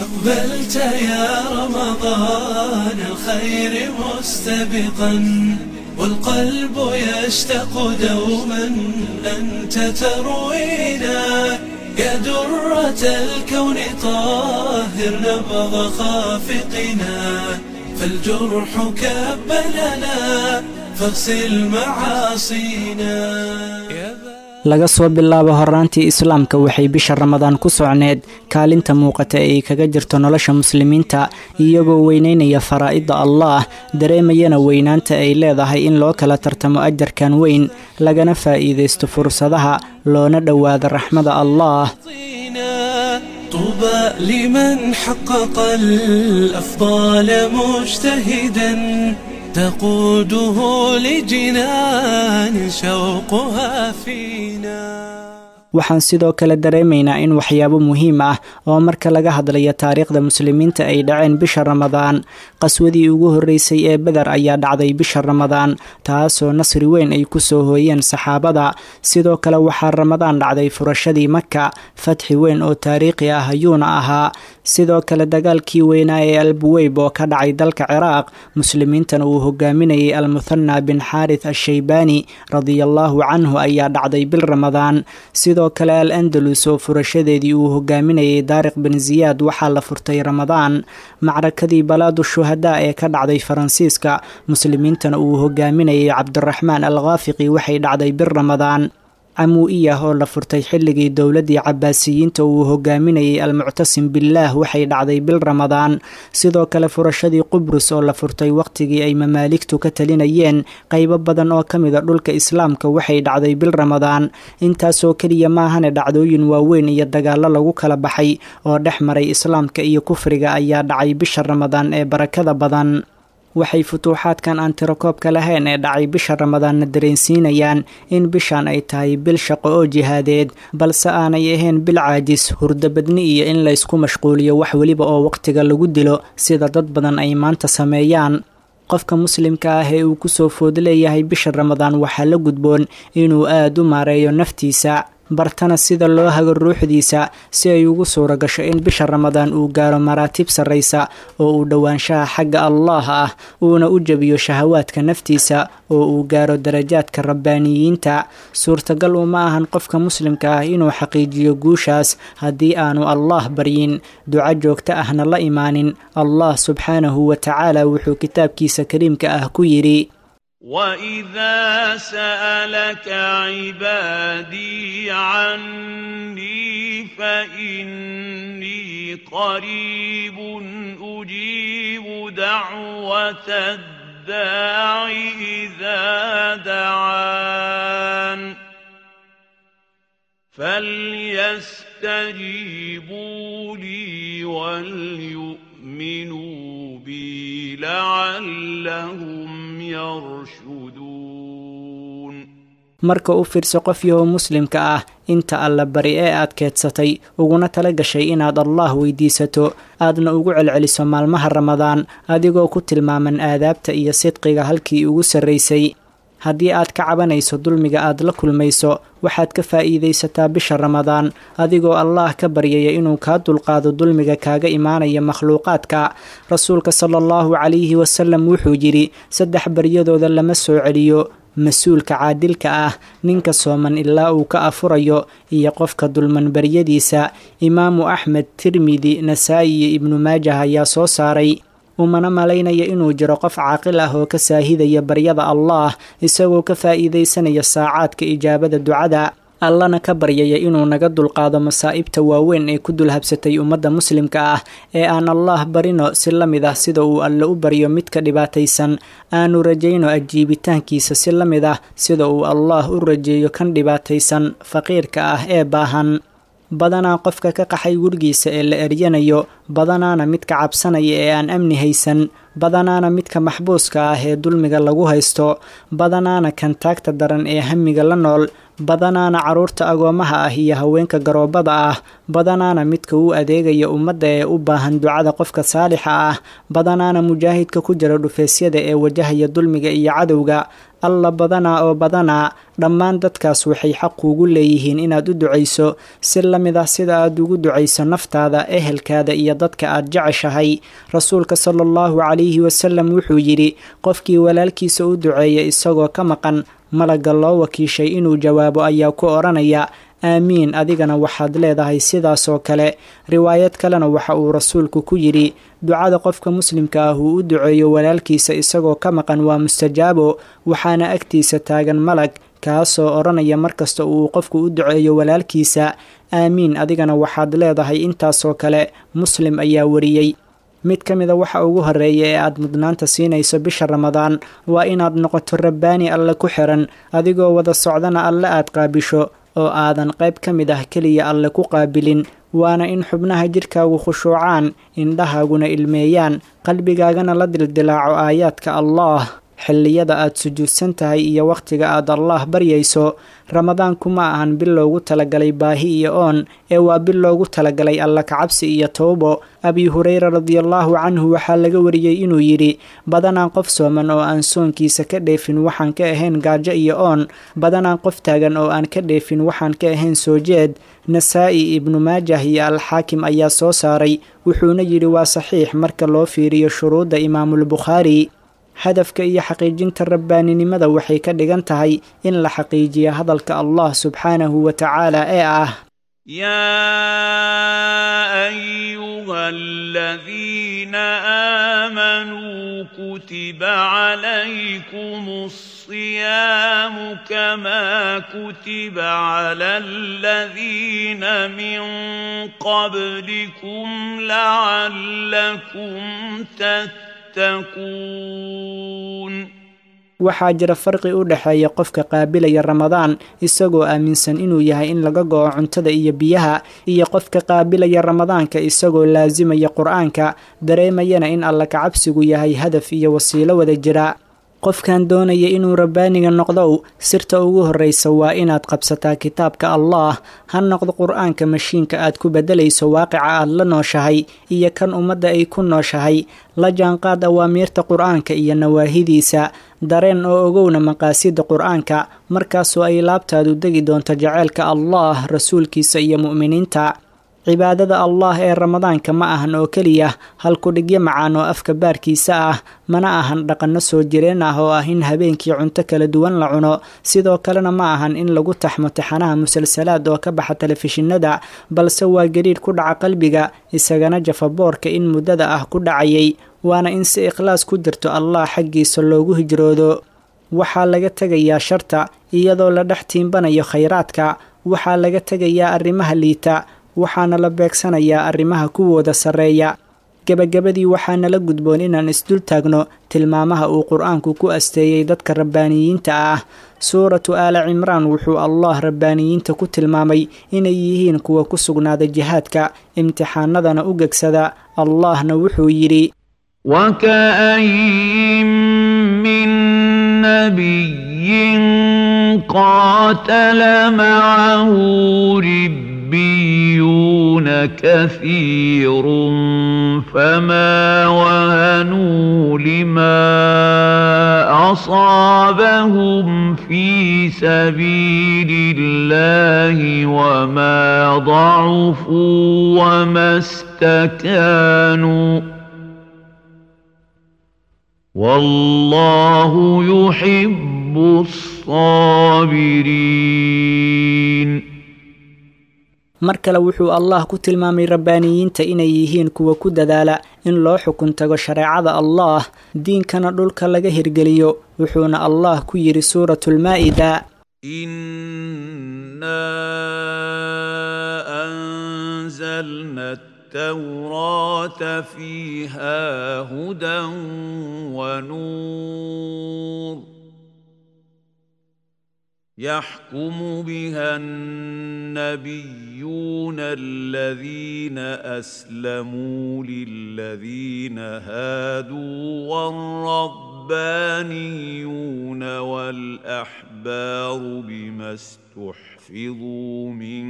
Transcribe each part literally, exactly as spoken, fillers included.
أقبلت يا رمضان الخير مستبقا، والقلب يشتاق دوما أنت تروينا، يا درة الكون طاهر نبض خافقنا، فالجرح كب لنا فاغسل معاصينا. Laga soo bilaabo horraantii Islaamka, waxay bisha Ramadaan ku socneed kaalinta muuqata ee ay kaga jirto nolosha Muslimiinta, iyagoo weyneynaya faraa'idda Allah, dareemayana weynaanta ay leedahay in loo kala tartamo ajarkan weyn, lagana faa'iidaysto fursadaha, loona dhowaado raxmada Allah. طوبى لمن حقق الأفضال مجتهدا، تقوده لجنان شوقها فينا. Waxaan sidoo kale dareemaynaa in waxyaabo muhiim ah oo marka laga hadlayo taariikhda Muslimiinta ay dhaceen bisha Ramadaan. Qaswadii ugu horreysay ee Beder ayaa dhacday bisha Ramadaan, taasoo nasri weyn ay ku soo hooyeen saxaabada. Sidoo kale waxaa Ramadaan dhacday furashadii Maka, fatxi weyn oo taariikhi ah ayuuna ahaa. Sidoo kale dagaalkii weynaa ee Albuweyb oo ka dhacay dalka Ciraaq, Muslimiintana uu hogaaminayay Almuthana bin Xaarith Ashaybaani radiallahu canhu, ayaa dhacday bil Ramadaan. Sidoo kale Al Andalus oo furashadeedii uu hogaaminayay Daariq bin Ziyaad waxaa la furtay Ramadaan. Macrakadii Balaadu Shuhadaa ee ka dhacday Faransiiska, Muslimiintana uu hogaaminayay Cabdiraxmaan al Khaafiqi, waxay dhacday bil Ramadaan. Camuu'iyah oo la furtay xilligii dowladdii Cabaasiyiinta uu hogaaminayay Almuctasim Billaah waxay dhacday bil Ramadaan. Sidoo kale furashadii Qubrus oo la furtay waqtigii ay Mamaaligtu ka talinayeen qaybo badan oo ka mida dhulka Islaamka waxay dhacday bil Ramadaan. Intaasoo keliya maahane, dhacdooyin waaweyn iyo dagaallo lagu kala baxay oo dhex maray Islaamka iyo kufriga ayaa dhacay bisha Ramadaan ee barakada badan. Waxay futuuxaadkan aan tirakoobka lahayn ee dhacay bisha Ramadaanna dareensiinayaan in bishan ay tahay bil shaqo oo jihaadeed, balse aanay ahayn bil caajis, hurdabadni iyo in laysku mashquuliyo wax weliba oo waqtiga lagu dilo, sida dad badan ay maanta sameeyaan. Qofka Muslimka ah ee uu kusoo food leeyahay bisha Ramadaan waxaa la gudboon inuu aad u maareeyo naftiisa, bartana sida loo hago ruuxdiisa, si ay ugu suura gasho in bisha Ramadaan uu gaaro maraatib sarraysa oo uu dhowaanshaha xagga Allah ah, uuna u jebiyo shahawaadka naftiisa oo uu gaaro darajaadka rabbaaniyiinta. Suurtagal uma ahan qofka Muslimka ah inuu xaqiijiyo guushaas haddii aanu Allah baryin, duco joogto ahna la imaanin. Allah subxaanahu wa tacaala wuxuu kitaabkiisa kariimka ah ku yidhi: وإذا سألك عبادي عني فإني قريب، أجيب دعوة الداع إذا دعان، فليستجيبوا لي وليؤمنوا بي لعلهم يرشدون. Marka u fiirso qof yahow Muslimka ah, inta Alla bari ee aad keedsatay uguna tala gashay inaad Allah weydiisato, aadna ugu celceliso maalmaha Ramadaan, adigoo ku tilmaaman aadaabta iyo sidqiga halkii ugu sarraysay. Haddii aad ka cabanayso dulmiga aad la kulmayso, waxaad ka faa'iidaysataa bisha Ramadaan adigoo Allah ka baryaya inuu kaa dulqaado dulmiga kaaga imaanaya makhluuqaadka. Rasuulka sala allahu calayhi wasalam wuxuu yidhi: "Saddex baryadooda lama soo celiyo: mas-uulka caadilka ah, ninka sooman ilaa uu ka afurayo, iyo qofka dulman baryadiisa." Imaamu Axmed, Tirmidi, Nasaa'i iyo Ibnu Maajah ayaa soo saaray. Umana malaynaya inuu jiro qof caaqil ah oo ka saahidaya baryada Allah isagoo ka faa'iidaysanaya saacaadka ijaabada ducada, Allana ka baryaya inuu naga dulqaado masaa'ibta waaweyn ee ku dulhabsatay ummadda Muslimka ah, ee aan Allah barino si la mid ah sida uu Alle u baryo midka dhibaataysan, aanu rajayno ajiibitaankiisa si la mid ah sida uu Allah u rajeeyo kan dhibaataysan faqiirka ah ee baahan. Badanaa qofka ka qaxay gurigiisa ee la eryanayo, badanaana midka cabsanaya ee aan amni haysan, badanaana midka maxbuuska ah ee dulmiga lagu haysto, badanaana kan taagta daran ee hamiga la nool, Badanaana carruurta agoomaha ah iyo haweenka garoobada ah, badanaana midka u adeegaya ummadda ee u baahan ducada qofka saalixa ah, badanaana mujaahidka ku jira dhufeysyada ee wajahaya dulmiga iyo cadowga. Alla badanaa oo badanaa, dhammaan dadkaas waxay xaq kuugu leeyihiin inaad u ducayso si la mid ah sida aad ugu ducayso naftaada, ehelkaada iyo dadka aad jeceshahay. Rasuulka sala allahu calayhi wasalam wuxuu yidhi, qofkii walaalkiisa u duceeya isagoo ka maqan, malagga loo wakiishay inuu jawaabo ayaa ku odhanaya aamiin, adigana waxaad leedahay sidaasoo kale. Riwaayad kalena waxa uu rasuulku ku yidhi, ducada qofka muslimka ah uu u duceeyo walaalkiisa isagoo ka maqan waa mustajaabo, waxaana agtiisa taagan malag kaasoo odhanaya markasta uu qofku u duceeyo walaalkiisa aamiin, adigana waxaad leedahay intaasoo kale. Muslim ayaa wariyey. Mid ka mida waxa ugu horreeya ee aad mudnaanta siinayso bisha Ramadaan waa inaad noqoto rabbaani alle ku xiran, adigoo wada socdana alle aad qaabisho oo aadan qayb ka mid ah keliya alle ku qaabilin. Waana in xubnaha jidhkaagu khushuucaan, indhahaaguna ilmeeyaan, qalbigaagana la dildilaaco aayaadka Allaah xilliyada aad sujuudsan tahay iyo wakhtiga aad Allaah baryayso. Ramadaanku ma ahan bil loogu talagalay baahi iyo oon, ee waa bil loogu talagalay alla kacabsi iyo towbo. Abi Hureyra radiallahu canhu waxaa laga wariyey inuu yidhi, badanaan qof sooman oo aan soonkiisa ka dheefin waxaan ka ahayn gaajo iyo oon, badanaan qof taagan oo aan ka dheefin waxaan ka ahayn soo jeed. Nasaa'i, Ibnu Maajah iyo Alxaakim ayaa soo saaray, wuxuuna yidhi waa saxiix marka loo fiiriyo shuruudda Imaamulbukhaari. Hadafka iyo xaqiijinta rabbaaninimada waxay ka dhigan tahay in la xaqiijiyo hadalka Allah subxaanahu wa tacaala ee ah: يا أيها الذين آمنوا كتب عليكم الصيام كما كتب على الذين من قبلكم لعلكم تتقون. Waxaa jira farqi u dhexeeya qofka qaabilaya Ramadaan isagoo aaminsan inuu yahay in laga go'o cuntada iyo biyaha, iyo qofka qaabilaya Ramadaanka isagoo laasimaya Qur-aanka, dareemayana in alla kacabsigu yahay hadaf iyo wasiilo wada jira. Qofkan doonaya inuu rabbaaniga noqdow, sirta ugu horreysa waa inaad qabsataa kitaabka Allaah. Ha noqdo Qur-aanka mashiinka aad ku beddelayso waaqica aad la nooshahay iyo kan ummadda ay ku nooshahay. La jaanqaad awaamiirta Qur-aanka iyo nawaahidiisa, dareen oo ogowna maqaasida Qur-aanka, markaasoo ay laabtaadu degi doonto jaceylka Allaah, rasuulkiisa iyo mu'miniinta. Cibaadada Allaah ee Ramadaanka ma ahan oo keliya halkudhigyo macaan oo afka baarkiisa ah, mana ahan dhaqanno soo jireen ah oo ah in habeenkii cunto kala duwan la cuno, sidoo kalena ma ahan in lagu taxmo taxanaha musalsalaad oo ka baxa telefishinada, balse waa gariir ku dhaca qalbiga, isagana jafaboorka in muddada ah ku dhacayay, waana in si ikhlaas ku jirto Allah xaggiisa loogu hijroodo. Waxaa laga tegayaa sharta iyadoo la dhex tiimbanayo khayraadka, waxaa laga tegayaa arrimaha liita, waxaana la beegsanayaa arrimaha kuwooda sarreeya. Gebagabadii, waxaana la gudboon inaan isdul taagno tilmaamaha uu Qur-aanku ku asteeyey dadka rabbaaniyiinta ah. Suuratu Aala Cimraan wuxuu Allah rabbaaniyiinta ku tilmaamay inay yihiin kuwa ku sugnaada jihaadka, imtixaanadana u gegsada. Allahna wuxuu yidhi: وكأين من نبي قاتل معه ربيون كثير فما وهنوا لما أصابهم في سبيل الله وما ضعفوا وما استكانوا والله يحب الصابرين. Mar kale wuxuu Allah ku tilmaamay rabbaaniyiinta inay yihiin kuwa ku dadaala in loo xukun tago shareecada Allaah, diinkana dhulka laga hirgeliyo, wuxuuna Allah ku yidhi Suuratulmaa'ida: إنا أنزلنا التوراة فيها هدى ونور يحكم بها النبيون الذين أسلموا للذين هادوا والربانيون والأحبار بما استحفظوا من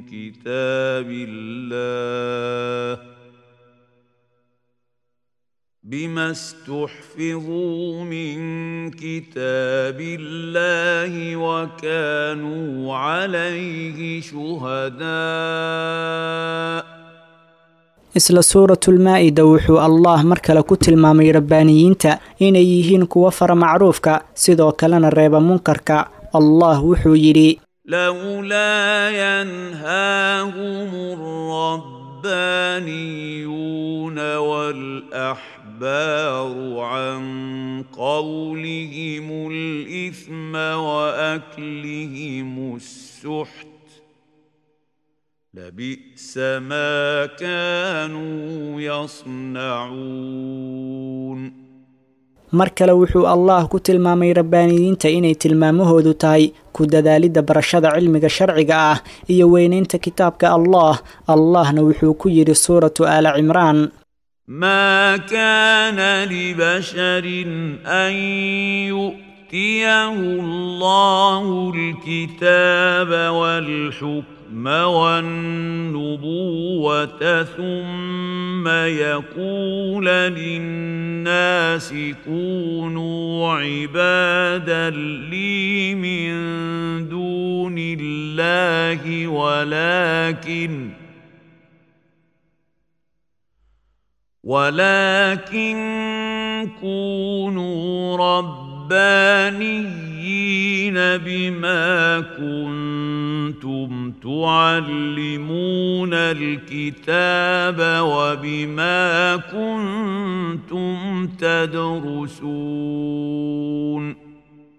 كتاب الله بما استحفظوا من كتاب الله وكانوا عليه شهداء. Isla suuratulmaa-ida wuxuu Allah mar kale ku tilmaamay rabbaaniyiinta inay yihiin kuwa fara macruufka, sidoo kalena reeba munkarka. Allah wuxuu yidhi: لولا ينهاهم الربانيون والأحبار عن قولهم الإثم وأكلهم السحت لبئس ما كانوا يصنعون. Mar kale wuxuu Allah ku tilmaamay rabbaaniyiinta inay tilmaamahoodu tahay ku dadaalidda barashada cilmiga sharciga ah iyo weynaynta kitaabka Allah. Allahna wuxuu ku yidhi suuratu Aala Cimraan: ما كان لبشر أن يؤتيه الله الكتاب والحكم والنبوة ثم يقول للناس كونوا عبادا لي من دون الله ولكن ولكن كونوا ربانيين بما كنتم تعلمون الكتاب وبما كنتم تدرسون.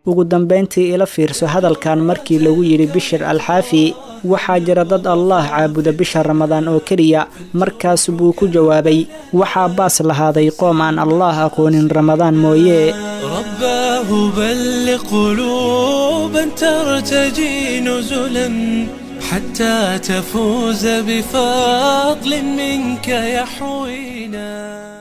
Ugu dambayntii ila fiirso hadalkan markii lagu yidhi Bishir Alxaafi: waxaa jira dad Allah caabuda bisha Ramadaan oo keliya. Markaas buu ku jawaabay: waxaa baas lahaaday qoom aan Allah aqoonin Ramadaan mooye. رباه بلغ قلوبا ترتجي نزلا حتى تفوز بفضل منك يحوينا.